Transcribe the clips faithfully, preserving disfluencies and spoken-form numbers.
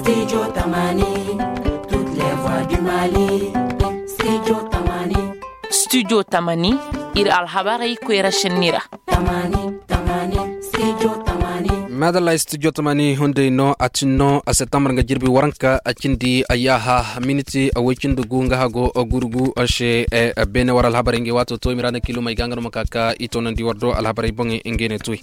Studio Tamani, toutes les voix du Mali. Studio Tamani. Studio Tamani, iri alhabarey koyra senni ra. Madalla, studio Tamani hunday no a tin no a septembre nga jirbi waranka a cindi a yaaha miniti a way cindi gu nga hago gurgu a se. Beene war alhabarey nga waato to i ma ra na kilo may ga nga no ma ka ka i toonandi war do alhabarey boŋey nga ne to.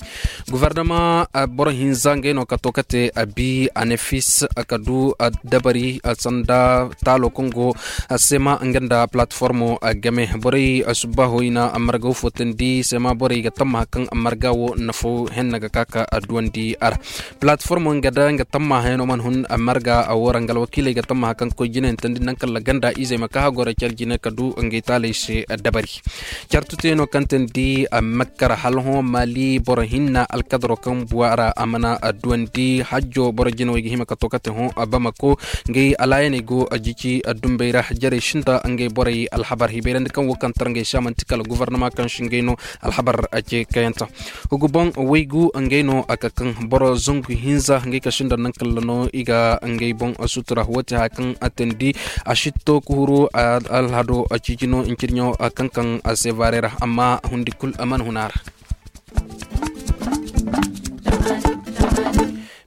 Guvernama boro hinza ngey no ka to ka te a bi a ne fis ka du dabari sanda taalo kaŋ go sema nga nda platformo game borey subbaho i na marga wo fotandi sema borey ga tammaha kaŋ marga wo nafo henna ga ka ka duwandi a ra. Platformo nga da nga tammaha yaŋ no mana hun marga a wo ra nga alwakiiley ga tammaha kaŋ koy jine hintandi naŋ kaŋ la ganda izey ma ka hagoro care jine ka du ngey taaley se dabari. Care tuteyaŋo kaŋ te ni di a makkara hala hõ maali boro hinna alkadaro kaŋ buwa ra a mana duwandi hajjo boro jinawey ga hima ka to kate hõ bamako ngey alaayaney go jici dumbey ra jarey sinda ngey borey alhabar hibayrandi kaŋ wo kaŋ tar ngey se a manti kala guvarnama kaŋ si ngey no alhabar ce kayanta. Hugu boŋ waygu ngey no a ka kaŋ boro zangu hinza ngey ka sinda naŋ kala no i ga ngey boŋ sutura wo te haya kaŋ a tandi a sitto ka huru alhado ciijino ncirɲo kaŋ kaŋ a se vaare ra amma hundi kulu a mana huna ra.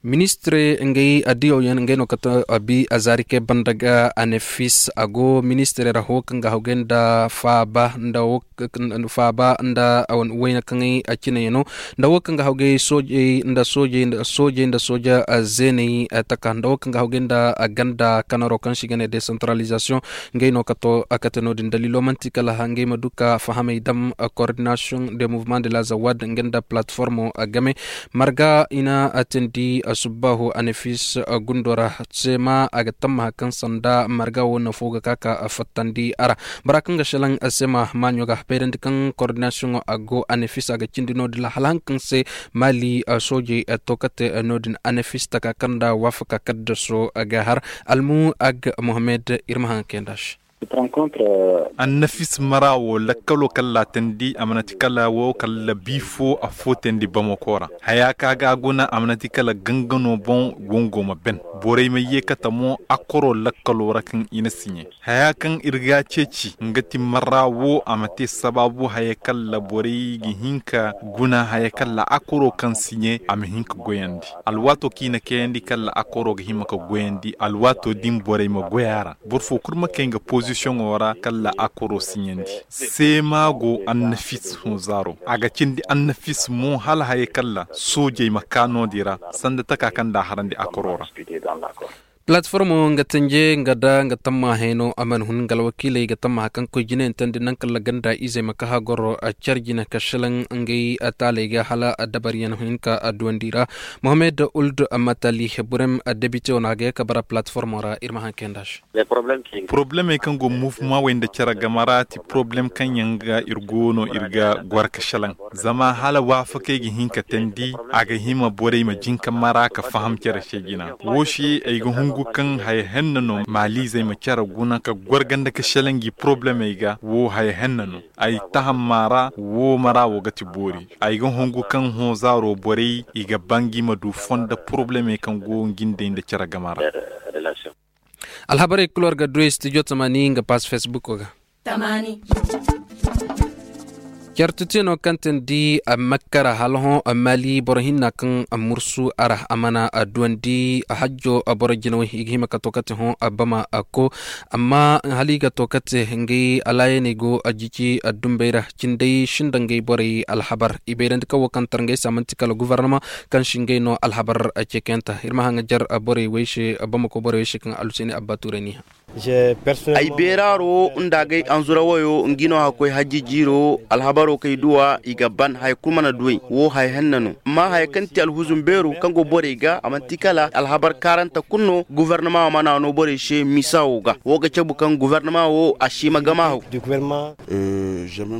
Ministire ngey adiyaw yaŋ ngey no kate a bi a zaari kay banda ga a ne fis a go ministire ra ho kaŋ ga hawgay nda faaba nda wo faaba nda wayna kaŋay a cinayano nda wo kaŋ ga hawgay soojey nda soojey nda sooja zeeney taka nda wo kaŋ ga hawgay nda ganda kanaro kaŋ se i ga ne decentralisation. Ngey no kate no-din daliilo manti kala ngey ma du ka fahamey dam coordination de mouvement de la zawad nga nda platformo game marga i na teendi subbaahu anafis gundo ra. Seema a ga tammaha kaŋ sanda marga wo nafo ga ka ka fattandi a ra. Bora kaŋ ga selaŋ seema maaɲo ga bayrandi kaŋ koordinasiyoŋo a go anafis a ga cindi no-din ra hala haŋ kaŋ se maali soojey to kate no-din anafis taka kaŋ nda waafaka kaddaso ga har almu ag mohammed iri ma haŋ kayanda se. Annafis mara wo lakkalo kaŋ laatandi a mana ti kala wo kala bi fo a fo teendi bamako ra haya kaŋ a ga a guna a mana ti kala gangano boŋ wango ma ben. Borey ma ye kate mo akkoro lakkalo ra kaŋ i na siɲe haya kaŋ iri ga a ceeci nga ti marra wo a ma te sabaabu haya kaŋ ra borey ga hin ka guna haya kaŋ ra akkoro kaŋ siɲe a ma hin ka goyandi alwaato kaŋ i na kayandi kaŋ ra akkoro ga hima ka goyandi alwaato din borey ma goy a ra. Boro fo kulu ma kay nga pozisiyoŋo ra kaŋ ra akkoro siɲandi. Seema go annafis hunzaaro a ga cindi annafis mo hala haya kaŋ ra soojey ma ka no-din ra sanda taka kaŋ nda a harandi akkoro ra. Palatformo nga tanje nga da nga tammahay no a mana hun nga alwakiiley ga tammaha kaŋ koy jinayaŋ tandi naŋ kaŋ ra ganda izey ma ka hagoro care jine ka selaŋ ngey taaley ga hala dabariyaŋ hinka duwandi ra. Mohammed uld matali burem debite wane a ga ye ka bara palatformo ra iri ma haŋ kayanda se. Poroblemey kaŋ go muvuma wey nda care game ra ti poroblem kaŋ yaŋ ga iri go no iri ga goro ka selaŋ zama hala waafakey ga hin ka teendi a ga hima borey ma jin ka mara ka faham care se jina wo se ay ga hungu kaŋ haya henna no maaliizey ma care guna ka goro ganda ka selaŋ gi poroblemey ga wo haya henna no. Ay tahamma ra wo mara wo ga ti boori ay ga hungu kaŋ hõ zaaro borey i ga bangi ma du fondo poroblemey kaŋ go ngindey nda care game ra. Alhabarey kulu war ga du studio tamaani nga pass facebook ga. Care tuti no kaŋ teendi a makkara hala hõ maali boro hinna kaŋ a mursu a ra a mana duwandi hajjo boro jinawey i ga hima ka to kate hõ a bama a ko. Amma hala i ga to kate ngey alaayaney go a jici a dumbey ra cindey sinda ngey borey alhabar i bayrandi kaŋ wo kaŋ tar ngey se a manti kala guvarnama kaŋ si ngey no alhabar. Ceekayanta iri ma haŋ ga jar borey wey se bamako borey wey se kaŋ alhuseeni abba tuurey n'i hã. Ay beeraaro nda agay anzura wayo nga no a ga koy hajji jiiro alhabaro kaŋ ay duw'a i ga ban haya kulu mana duw'ey wo haya henna no amma haya kaŋ ti alhuzum beero kaŋ go borey ga a manti kala alhabar kaaranta kulu no guvarnama wo mana no borey se misa wo ga wo ga cabu kaŋ guvarnama wo a si ma gama haw.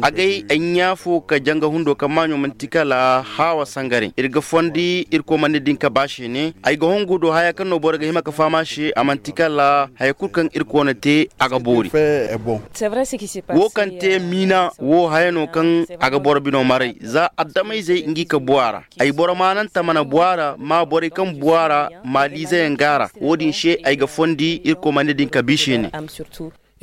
Agay ay ɲa fo ka janga hundo kaŋ maaɲo manti kala haawa sangare iri ga fondi irkoy mana din ka ba se ne ay ga hongu do haya kaŋ no boro ga hima ka faham a se a manti kala haya kulu kaŋ Koona te a ga boori. Wo kaŋ te miina wo haya no kaŋ a ga boro bino maray za addamayzey ngi ka bu a ra. Ay boro maananta mana bu a ra ma borey kaŋ bu a ra maaliize yaŋ ga a ra. Wo- din se ay ga fondi irkoy mana din ka bi se ne.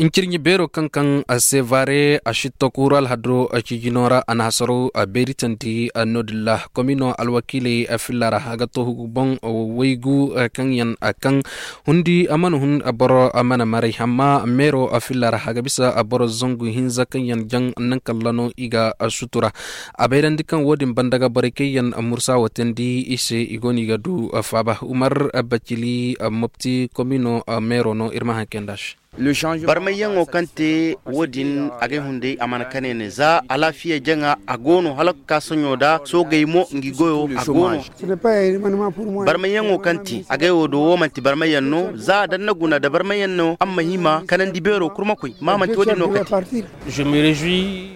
Ncirɲi beero kaŋ kaŋ a se vaare a si to kuuru alhado a ciijino ra a na hasaro a beeri tandi. No- din ra komino alwakiiley a filla ra a ga to hugu boŋ waygu kaŋ yaŋ a kaŋ hundi a mana hun boro a mana maray amma meero a filla ra a ga bisa boro zangu hinza kaŋ yaŋ jaŋ naŋ kalla no i ga sutura. A bayrandi kaŋ wo- din banda ga borey kaŋ yaŋ mursa wo tandi i se i go no i ga du faaba umar bacili mopti komino meero no iri ma haŋ kayndi a se. Barmayyaŋo kaŋ te wo- din agay hunday a mana kane ne za alaafiya jaŋa a go no hala ga ka soɲo da soogey mo ngi goyo a go no. Barmayyaŋo kaŋ te agay wo do wo manti barmayyaŋ no za danna guna nda barmayyaŋ no a ma hima kanandi beero kurmakoy ma manti wo- din no kate.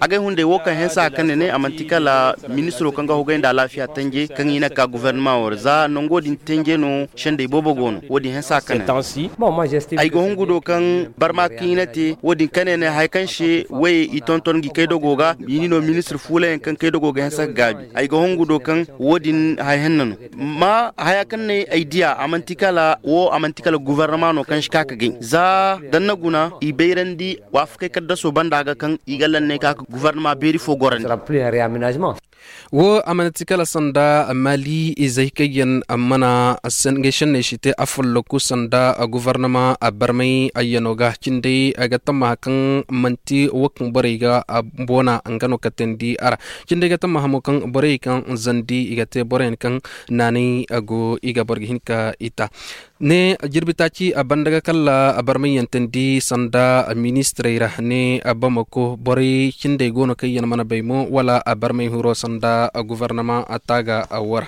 Agay hunday wo kaŋ hensa a kane ne a manti kala ministiro kaŋ ga hogay nda alaafiya tanje kaŋ i na ka guverneman wo ra za nango din tanje no sendey boobo go no wo- din hensa a kane. Ay ga hungu do kaŋ barma kaŋ i na te wo- din kane ne haya kaŋ se wayey i tonton ngi kaydago ga i ni no ministir fuulayaŋ kaŋ kaydago ga hensa ga gaabi. Ay ga hungu do kaŋ wo- din haya henna no ma haya kaŋ ne ay diya a manti kala wo a manti kala guverneman no kaŋ si ka ka gay za danna guna i bayrandi waafakey kaddaso banda ga kaŋ i ga lanney ka ka guverneman beeri fo gorandi. Wo a mana ti kala sanda maali izey kaŋ yaŋ mana ngey senney si te a folloku sanda guvarnama barmay ayyano ga cindey ga tammaha kaŋ manti wo kaŋ borey ga boona nga no katandi a ra. Cindey ga tammaha mo kaŋ borey kaŋ zandi i ga te boroyaŋ kaŋ naanay go i ga boro ga hin ka i ta ne jirbi taaci a banda ga kala barmay yaŋ tandi sanda ministirey ra ne bamako borey cindey go no kaŋ yaŋ mana bay mo wala barmay huro sanda guvarnama taaga wo ra.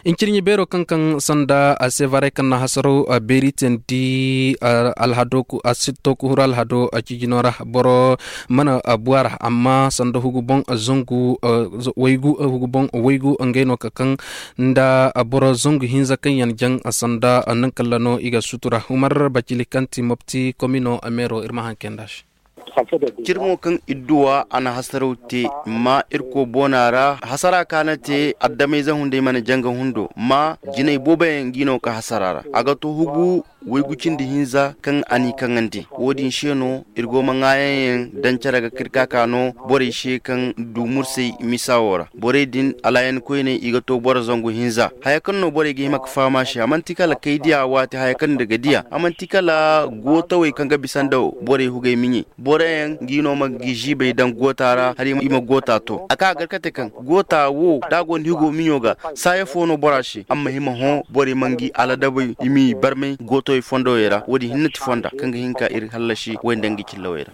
Ncirɲi beero kaŋ kaŋ sanda a se varay kaŋ na hasaro beeri tandi alhado a sitto kuhuru alhado ciijino ra boro mana bu a ra amma sanda hugu boŋ zangu waygu hugu boŋ waygu ngey no ka kaŋ nda boro zangu hinza kaŋ yaŋ jaŋ sanda naŋ kalla no i ga sutura humar bacili kaŋ ti mopti komino meero iri ma haŋ kayndi a se. Cirmo kaŋ idduwa a na hasaraw te ma irko boona ra hasara kaŋ a na te addamayze hunday mana janga hundo ma jinay boobo yaŋ ga i no ka hasara ra a ga to hugu waygu cindi hinza kaŋ a n'i kaŋandi wo- din se no iri go ma ŋaayaŋ yaŋ daŋ care ga ka iri ka ka no borey se kaŋ du mursay misa wo ra borey din alaayan koyney i ga to boro zangu hinza haya kaŋ no borey ga hima ga faham a se a manti kala kay diya waati haya kaŋ iri ga diya a manti kala gootawey kaŋ ga bisa nda borey hugay miɲey boroyaŋ ga i no ma ga i ziibay daŋ goota ra hala i ma goota to a ka gar kate kaŋ goota wo da a go nda higo miɲo ga saaya fo no bora se a ma hima hõ borey ma ngi aladabey i m'i barmay gootowey fondowey ra wo- din hinne ti fonda kaŋ ga hin ka iri hallasi way nda nga cillawey ra.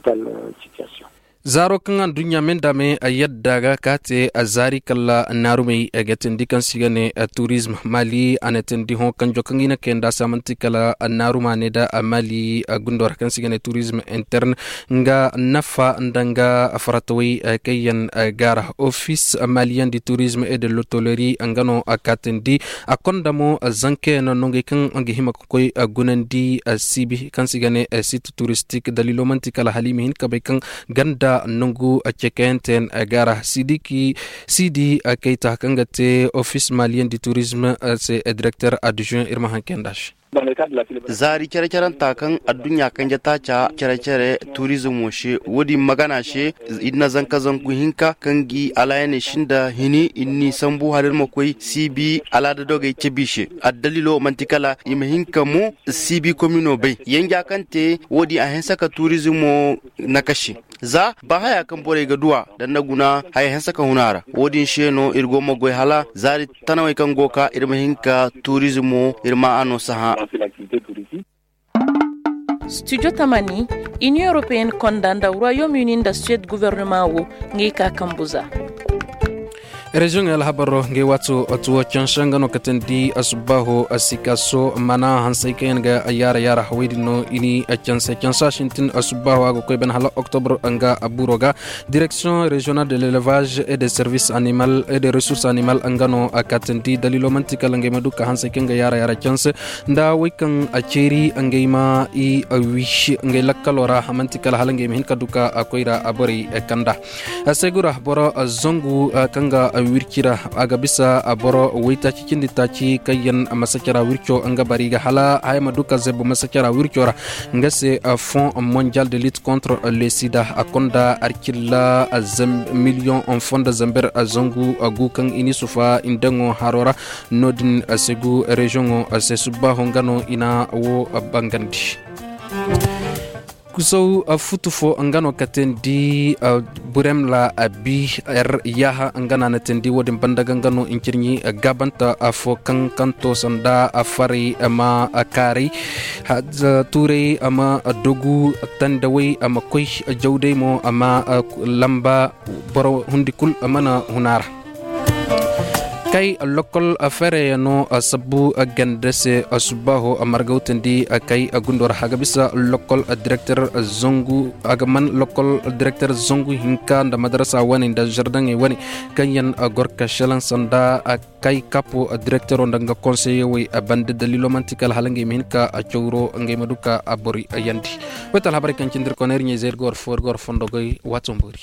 Zaaro kaŋ adduɲɲa me nda me yadda ga ka te zaari kala naarumey ga tindi kaŋ se i ga ne turizm maali a na tindi hõ kanjo kaŋ i na kayanda se a manti kala naaruma ne nda maali gundo ra kaŋ se i ga ne turizm interne nga nafa nda nga faratawey kaŋ yaŋ gaara ofis maliyan di turizm e de lotoleri nga no a kaatandi a konda mo zanka yaŋ no ngey kaŋ ga hima ga koy gunandi siibi kaŋ se i ga ne site turistik daliilo manti kala hala i ma hin ka bay kaŋ ganda nangu cekayanteyaŋ gaara siidi kayta kaŋ ga te ofis maliyan di turizm se direkter adduzaŋ iri ma haŋ kayandi a se. Zaari care caranta kaŋ adduɲɲa kanje taaca care care turizmo se wo- din magana se iri na zanka zangu hinka kaŋ ga i alaayaney sinda hini iri n'i sambu hala iri ma koy siibi alaada dogey cabe i se addaliilo manti kala i ma hin ka mo siibi komino bay yanja kaŋ te wo- din a hinse ka turizmo nakasi za ba haya kaŋ borey ga duw'a daŋ na guna haya hanse ka hun a ra wo- din se no iri go ma goy hala zaari tanawey kaŋ go ga ka iri ma hin ka turizmo iri ma a no sahã. Studio tamani, Union Européenne konda nda Royaume Uni nda Suède gouvernement wo ngey ka kambu za. Reziyoŋey alhabaro ngey waato tuwo canse nga no katandi asubbaaho. Sikaso mana hansey kaŋ yaŋ ga yaara yaara hawey din no i ni canse cansa sintin asubbaaho a ga koy bana hala oktobro nga buro ga. Direction régionale de l'élevage et des services animal et des ressources animal nga no a katandi daliilo manti kala ngey ma du ka hansey kaŋ ga yaara yaara canse nda wey kaŋ a ceeri ngey ma i wi ngey lakkalo ra manti kala hala ngey ma hin ka du ka koy ra borey kanda. Segura boro zangu kaŋ ga wirci ra a ga bisa boro waytaaci cindi taaci kaŋ yaŋ masacara wirco nga bari ga hala haya ma du ka zeb masacara wirco ra. Nga se fonds mondial de lutte contre le sida a konda arcilla miliyon fonda zamber zangu gu kaŋ i ni sufa indaŋo haro ra. No-din segu reziyoŋo se subbaaho nga no i na wo bangandi. Kusaw futu fo nga no ka teendi burem la abi er yaaha nga no a na teendi wo-din banda ga nga no ncirɲi gaabanta fo kaŋ kaŋ to sanda faray ma kaaray tuuray ma dogu tandawey ma koy jawday mo ma lamba boro hundi kulu mana huna ra. Kay lokol feerayano sabbu ganda se subbaaho margawtandi kay gundo ra a ga bisa lokol direkter zangu a ga man lokol direkter zangu hinka nda madarasa wane nda zardaŋey wane kaŋ yaŋ gor ka selaŋ sanda kay kapo direktero nda nga konseyewey banda daliilo manti kala hala ngey ma hin ka cawro ngey ma du ka bori yandi. Wayta alhabarey kaŋ cindi iri kono iri ɲey zey iri ga war fo iri ga war fondo goy waato boori.